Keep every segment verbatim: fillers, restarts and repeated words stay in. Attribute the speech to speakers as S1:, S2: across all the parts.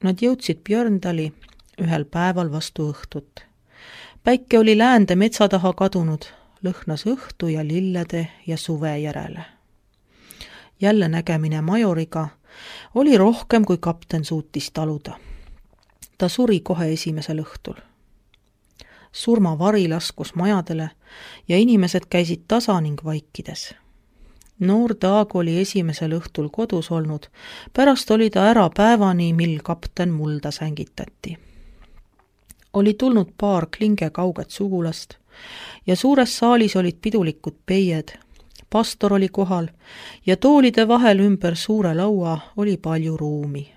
S1: Nad jõudsid Björndali ühel päeval vastu õhtut. Päike oli läände metsa taha kadunud, lõhnas õhtu ja lillede ja suve järele. Jälle nägemine majoriga oli rohkem, kui kapten suutis taluda. Ta suri kohe esimesel õhtul. Surmavari laskus majadele ja inimesed käisid tasa ning vaikides. Noor Taag oli esimesel õhtul kodus olnud, pärast oli ta ära päevani, mil kapten mulda sängitati. Oli tulnud paar klinge kauget sugulast ja suures saalis olid pidulikud peied, pastor oli kohal ja toolide vahel ümber suure laua oli palju ruumi.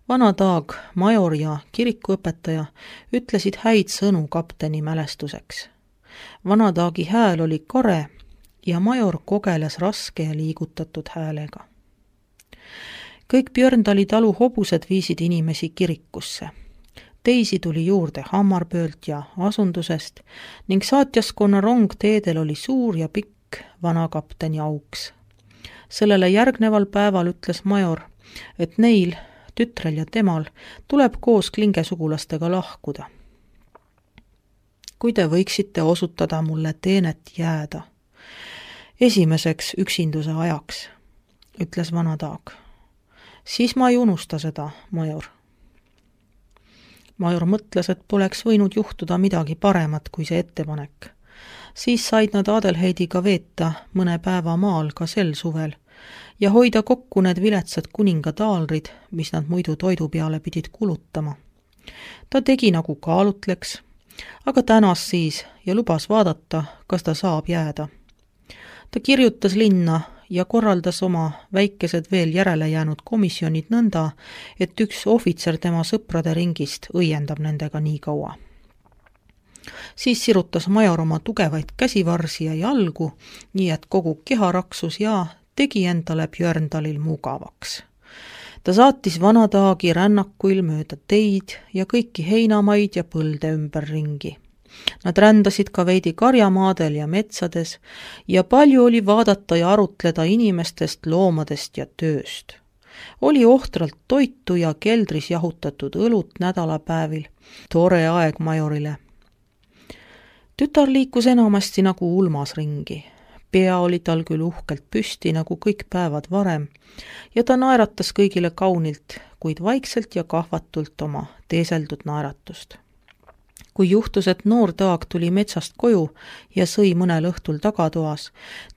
S1: Vana Taag, major ja kirikuõpetaja ütlesid häid sõnu kapteni mälestuseks. Vana Taagi hääl oli kare ja major kogeles raske ja liigutatud häälega. Kõik Björndali talu hobused viisid inimesi kirikusse. Teisi tuli juurde Hammarböölt ja asundusest ning saatjaskonna rong teedel oli suur ja pikk vana kapteni auks. Sellele järgneval päeval ütles major, et neil, tütrel ja temal, tuleb koos klingesugulastega lahkuda. Kui te võiksite osutada mulle teenet jääda esimeseks üksinduse ajaks, ütles vana Taag, siis ma ei unusta seda, major. Major mõtles, et poleks võinud juhtuda midagi paremat kui see ettepanek. Siis said nad Adelheidiga veeta mõne päeva maal ka sel suvel ja hoida kokku need viletsad kuningataalrid, mis nad muidu toidu peale pidid kulutama. Ta tegi nagu kaalutleks, aga tänas siis ja lubas vaadata, kas ta saab jääda. Ta kirjutas linna ja korraldas oma väikesed veel järele jäänud komisjonid nõnda, et üks ohvitser tema sõprade ringist õiendab nendega nii kaua. Siis sirutas major oma tugevaid käsivarsi ja jalgu, nii et kogu keha raksus ja tegi endale Björndalil mugavaks. Ta saatis vana Taagi rännakuil mööda teid ja kõiki heinamaid ja põlde ümber ringi. Nad rändasid ka veidi karjamaadel ja metsades ja palju oli vaadata ja arutleda inimestest, loomadest ja tööst. Oli ohtralt toitu ja keldris jahutatud õlut nädalapäevil, tore aeg majorile. Tütar liikus enamasti nagu ulmas ringi. Pea oli tal küll uhkelt püsti nagu kõik päevad varem ja ta naeratas kõigile kaunilt, kuid vaikselt ja kahvatult oma teeseldud naeratust. Kui juhtus, et noor Taag tuli metsast koju ja sõi mõnel õhtul tagatoas,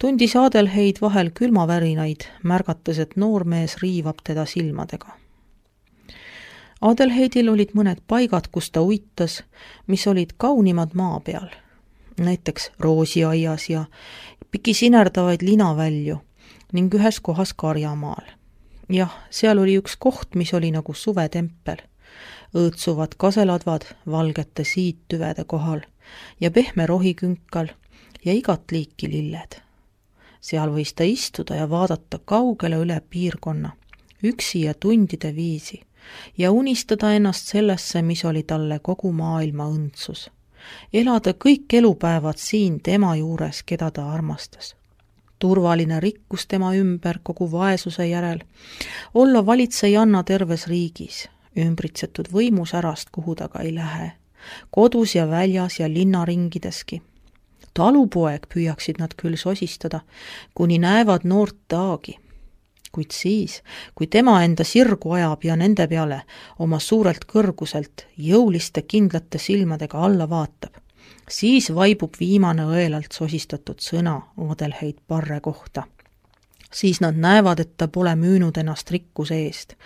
S1: tundis Adelheid vahel külmavärinaid, märgates, et noormees riivab teda silmadega. Adelheidil olid mõned paigad, kus ta uitas, mis olid kaunimad maa peal, näiteks roosiaias ja pikisinerdavaid linavälju ning ühes kohas karjamaal. Jah, seal oli üks koht, mis oli nagu suvetempel. Õõtsuvad kaseladvad valgete siittüvede kohal ja pehme rohikünkal ja igat liiki lilled. Seal võis ta istuda ja vaadata kaugele üle piirkonna, üksi ja tundide viisi ja unistada ennast sellesse, mis oli talle kogu maailma õndsus. Elada kõik elupäevad siin tema juures, keda ta armastas. Turvaline rikkus tema ümber kogu vaesuse järel, olla valitsejanna terves riigis, ümbritsetud võimusärast, kuhu ta ka ei lähe, kodus ja väljas ja linnaringideski. Talupoeg püüaksid nad küll sosistada, kuni näevad noort Taagi. Kuid siis, kui tema enda sirgu ajab ja nende peale oma suurelt kõrguselt jõuliste kindlate silmadega alla vaatab, siis vaibub viimane õelalt sosistatud sõna Adelheid Parre kohta. Siis nad näevad, et ta pole müünud ennast rikkuse eest,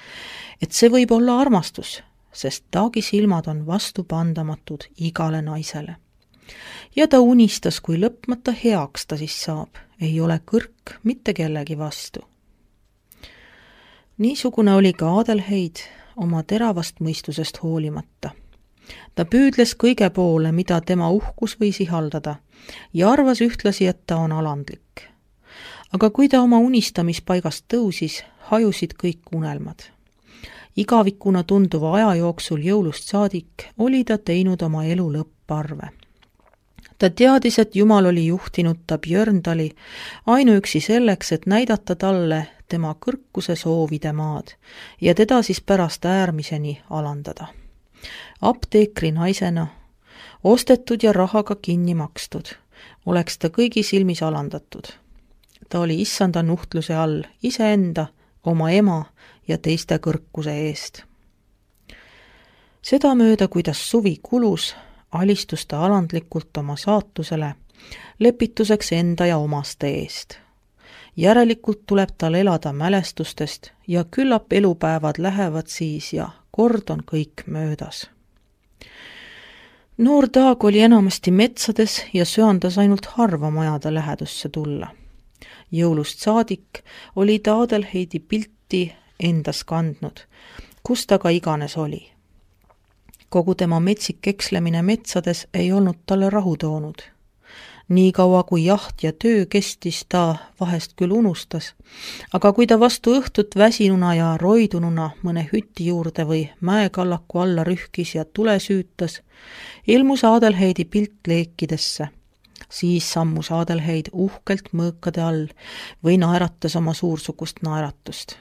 S1: et see võib olla armastus, sest Taagi silmad on vastupandamatud igale naisele. Ja ta unistas, kui lõpmata heaks ta siis saab, ei ole kõrk mitte kellegi vastu. Niisugune oli ka Adelheid oma teravast mõistusest hoolimata. Ta püüdles kõige poole, mida tema uhkus võis ihaldada ja arvas ühtlasi, et ta on alandlik. Aga kui ta oma unistamispaigast tõusis, hajusid kõik unelmad. Igavikuna tunduva aja jooksul jõulust saadik oli ta teinud oma elu lõpparve. Ta teadis, et Jumal oli juhtinud ta Björndali ainuüksi selleks, et näidata talle tema kõrkuse soovide maad ja teda siis pärast äärmiseni alandada. Apteekri naisena, ostetud ja rahaga kinni makstud, oleks ta kõigi silmis alandatud. Ta oli issanda nuhtluse all iseenda, oma ema ja teiste kõrkuse eest. Seda mööda, kuidas suvi kulus, alistus ta alandlikult oma saatusele, lepituseks enda ja omaste eest. Järelikult tuleb tal elada mälestustest ja küllap elupäevad lähevad siis ja kord on kõik möödas. Noor Taag oli enamasti metsades ja söandas ainult harva majade lähedusse tulla. Jõulust saadik oli ta Adelheidi pilti endas kandnud, kus ta ka iganes oli. Kogu tema metsik ekslemine metsades ei olnud talle rahu toonud. Nii kaua kui jaht ja töö kestis, ta vahest küll unustas, aga kui ta vastu õhtut väsinuna ja roidununa mõne hüti juurde või mäekallaku alla rühkis ja tule süütas, ilmus Adelheidi pilt leekidesse. Siis sammus Adelheid uhkelt mõõkade all või naeratas oma suursugust naeratust.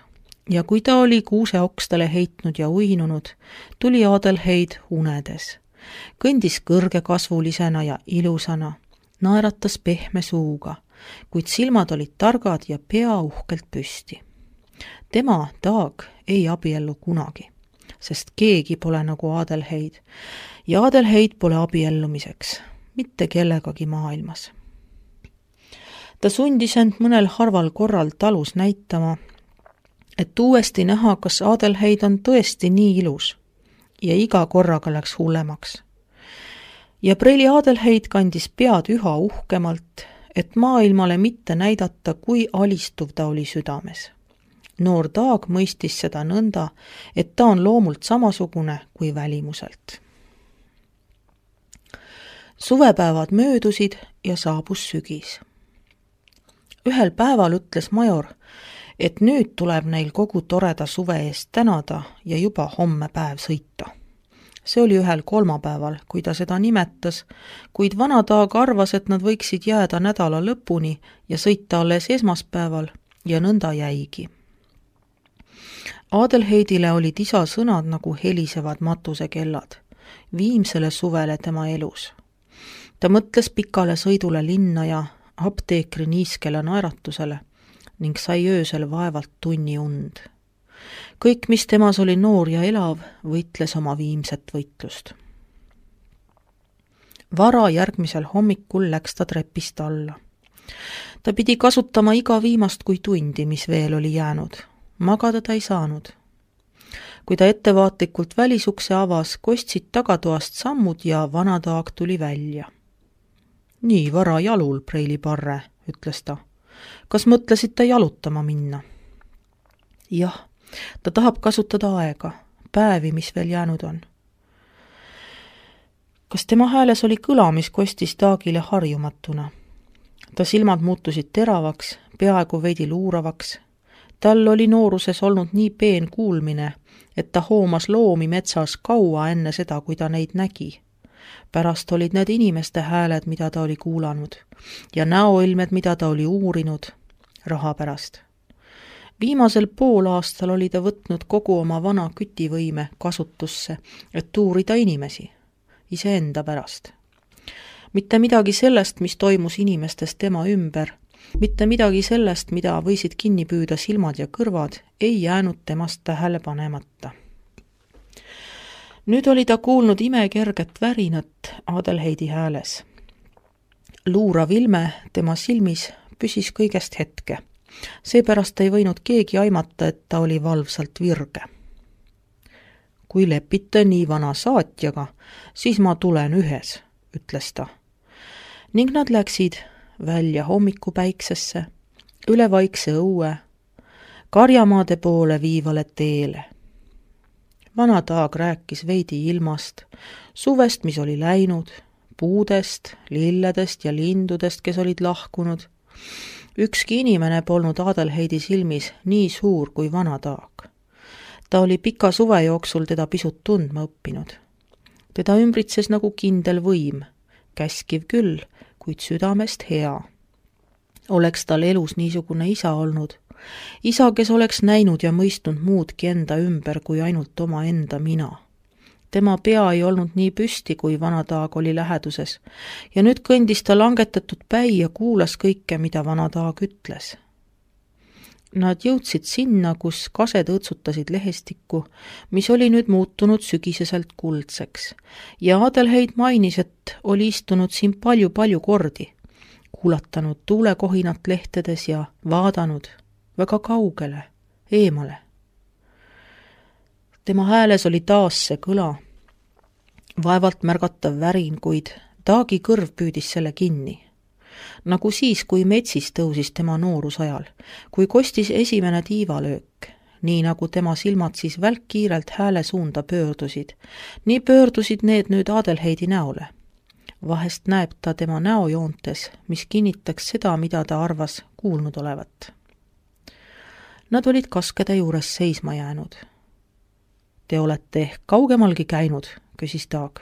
S1: Ja kui ta oli kuuse okstele heitnud ja uinunud, tuli Adelheid unedes. Kõndis kõrgekasvulisena ja ilusana, naeratas pehme suuga, kuid silmad olid targad ja pea uhkelt püsti. Tema, Taag, ei abiellu kunagi, sest keegi pole nagu Adelheid ja Adelheid pole abiellumiseks, mitte kellegagi maailmas. Ta sundis end mõnel harval korral talus näitama, et uuesti näha, kas Adelheid on tõesti nii ilus ja iga korraga läks hullemaks. Ja preili Adelheid kandis pead üha uhkemalt, et maailmale mitte näidata, kui alistuv ta oli südames. Noor Taag mõistis seda nõnda, et ta on loomult samasugune kui välimuselt. Suvepäevad möödusid ja saabus sügis. Ühel päeval ütles major, et nüüd tuleb neil kogu toreda suve eest tänada ja juba homme päev sõita. See oli ühel kolmapäeval, kui ta seda nimetas, kuid vana Taag arvas, et nad võiksid jääda nädala lõpuni ja sõita alles esmaspäeval ja nõnda jäigi. Adelheidile olid isa sõnad nagu helisevad matusekellad, viimsele suvele tema elus. Ta mõtles pikale sõidule linna ja apteekri niiskele naeratusele ning sai öösel vaevalt tunni und. Kõik, mis temas oli noor ja elav, võitles oma viimset võitlust. Vara järgmisel hommikul läks ta trepist alla. Ta pidi kasutama iga viimast kui tundi, mis veel oli jäänud. Magada ta ei saanud. Kui ta ettevaatlikult välisukse avas, kostsid tagatoast sammud ja vana Taag tuli välja. Nii vara jalul, preili Parre, ütles ta. Kas mõtlesite jalutama minna? Jah. Ta tahab kasutada aega, päevi, mis veel jäänud on. Kas tema hääles oli kõla, mis kostis Taagile harjumatuna? Ta silmad muutusid teravaks, peaaegu veidi luuravaks. Tal oli nooruses olnud nii peen kuulmine, et ta hoomas loomi metsas kaua enne seda, kui ta neid nägi. Pärast olid need inimeste hääled, mida ta oli kuulanud, ja näoilmed, mida ta oli uurinud, raha pärast. Viimasel pool aastal oli ta võtnud kogu oma vana kütivõime kasutusse, et uurida inimesi, iseenda pärast. Mitte midagi sellest, mis toimus inimestes tema ümber, mitte midagi sellest, mida võisid kinni püüda silmad ja kõrvad, ei jäänud temast tähele panemata. Nüüd oli ta kuulnud imekerget värinat Adelheidi hääles. Luurav ilme tema silmis püsis kõigest hetke. Seepärast ei võinud keegi aimata, et ta oli valvsalt virge. Kui lepite nii vana saatjaga, siis ma tulen ühes, ütles ta. Ning nad läksid välja hommikupäiksesse, üle vaikse õue, karjamaade poole viivale teele. Vana Taag rääkis veidi ilmast, suvest, mis oli läinud, puudest, lilledest ja lindudest, kes olid lahkunud. Ükski inimene polnud Adelheidi silmis nii suur kui vana Taag. Ta oli pika suve jooksul teda pisut tundma õppinud. Teda ümbritses nagu kindel võim, käskiv küll, kuid südamest hea. Oleks tal elus niisugune isa olnud, isa, kes oleks näinud ja mõistnud muudki enda ümber kui ainult oma enda mina. Tema pea ei olnud nii püsti, kui vana Taag oli läheduses, ja nüüd kõndis ta langetatud päi ja kuulas kõike, mida vana Taag ütles. Nad jõudsid sinna, kus kased õõtsutasid lehestikku, mis oli nüüd muutunud sügiseselt kuldseks, ja Adelheid mainis, et oli istunud siin palju-palju kordi, kuulatanud tuulekohinat lehtedes ja vaadanud väga kaugele, eemale. Tema hääles oli taas see kõla, vaevalt märgatav värin, kuid Taagi kõrv püüdis selle kinni. Nagu siis, kui metsis tõusis tema noorusajal, kui kostis esimene tiivalöök, nii nagu tema silmad siis välkkiirelt hääle suunda pöördusid, nii pöördusid need nüüd Adelheidi näole. Vahest näeb ta tema näojoontes, mis kinnitaks seda, mida ta arvas kuulnud olevat. Nad olid kaskede juures seisma jäänud. Te olete ehk kaugemalgi käinud, küsis Taag.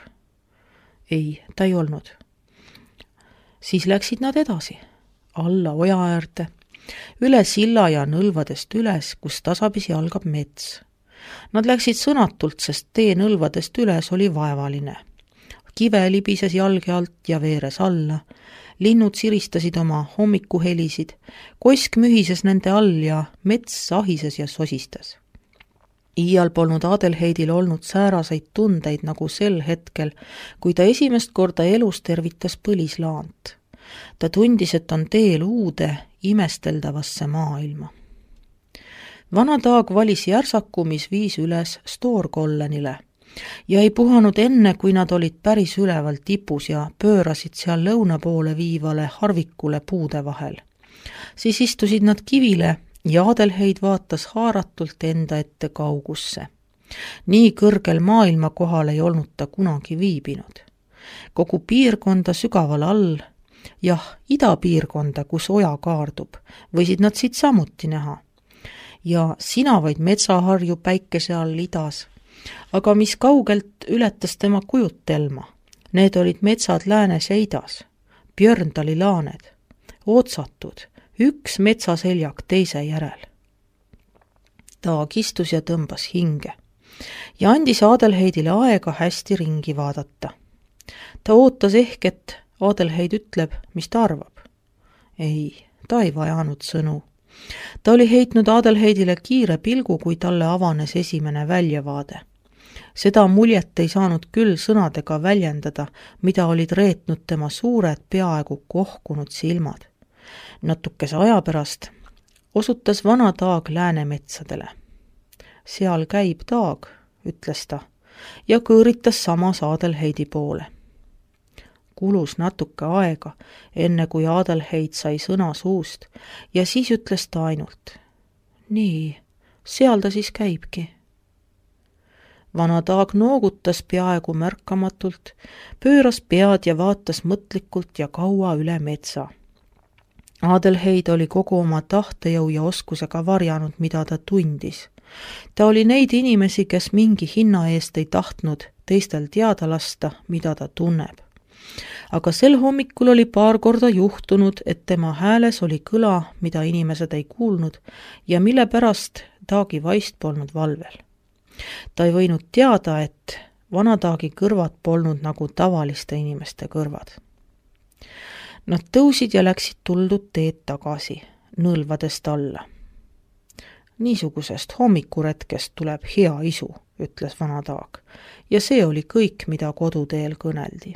S1: Ei, ta ei olnud. Siis läksid nad edasi, alla oja äärde, üle silla ja nõlvadest üles, kus tasapisi algab mets. Nad läksid sõnatult, sest tee nõlvadest üles oli vaevaline. Kive libises jalge alt ja veeres alla, linnud siristasid oma hommikuhelisid, koisk mühises nende all ja mets sahises ja sosistas. Iial polnud Adelheidil olnud sääraseid tundeid nagu sel hetkel, kui ta esimest korda elus tervitas põlislaant. Ta tundis, et on teel uude, imesteldavasse maailma. Vana Taag valis järsaku, mis viis üles Stoorkollenile ja ei puhanud enne, kui nad olid päris üleval tipus ja pöörasid seal lõuna poole viivale harvikule puude vahel. Siis istusid nad kivile ja Adelheid vaatas haaratult enda ette kaugusse. Nii kõrgel maailma kohal ei olnud ta kunagi viibinud. Kogu piirkonda sügaval all, jah, idapiirkonda, kus oja kaardub, võisid nad siit samuti näha. Ja sinavaid metsaharju päikese all idas, aga mis kaugelt ületas tema kujutelma. Need olid metsad läänes ja idas, Björndali laaned, otsatud, üks metsaseljak teise järel. Taag istus ja tõmbas hinge ja andis Adelheidile aega hästi ringi vaadata. Ta ootas ehk, et Adelheid ütleb, mis ta arvab. Ei, ta ei vajanud sõnu. Ta oli heitnud Adelheidile kiire pilgu, kui talle avanes esimene väljavaade. Seda muljet ei saanud küll sõnadega väljendada, mida olid reetnud tema suured peaaegu kohkunud silmad. Natukese aja pärast osutas vana Taag Läänemetsadele. Seal käib Taag, ütles ta, ja kõõritas samas Adelheidi poole. Kulus natuke aega, enne kui Adelheid sai sõna suust, ja siis ütles ta ainult. Nii, seal ta siis käibki. Vana Taag noogutas peaaegu märkamatult, pööras pead ja vaatas mõtlikult ja kaua üle metsa. Adelheid oli kogu oma tahtejõu ja oskusega varjanud, mida ta tundis. Ta oli neid inimesi, kes mingi hinna eest ei tahtnud teistel teada lasta, mida ta tunneb. Aga sel hommikul oli paar korda juhtunud, et tema hääles oli kõla, mida inimesed ei kuulnud ja mille pärast Taagi vaist polnud valvel. Ta ei võinud teada, et vana Taagi kõrvad polnud nagu tavaliste inimeste kõrvad. Nad tõusid ja läksid tuldud teed tagasi, nõlvadest alla. Niisugusest hommikuretkest tuleb hea isu, ütles vana Taag, ja see oli kõik, mida koduteel kõneldi.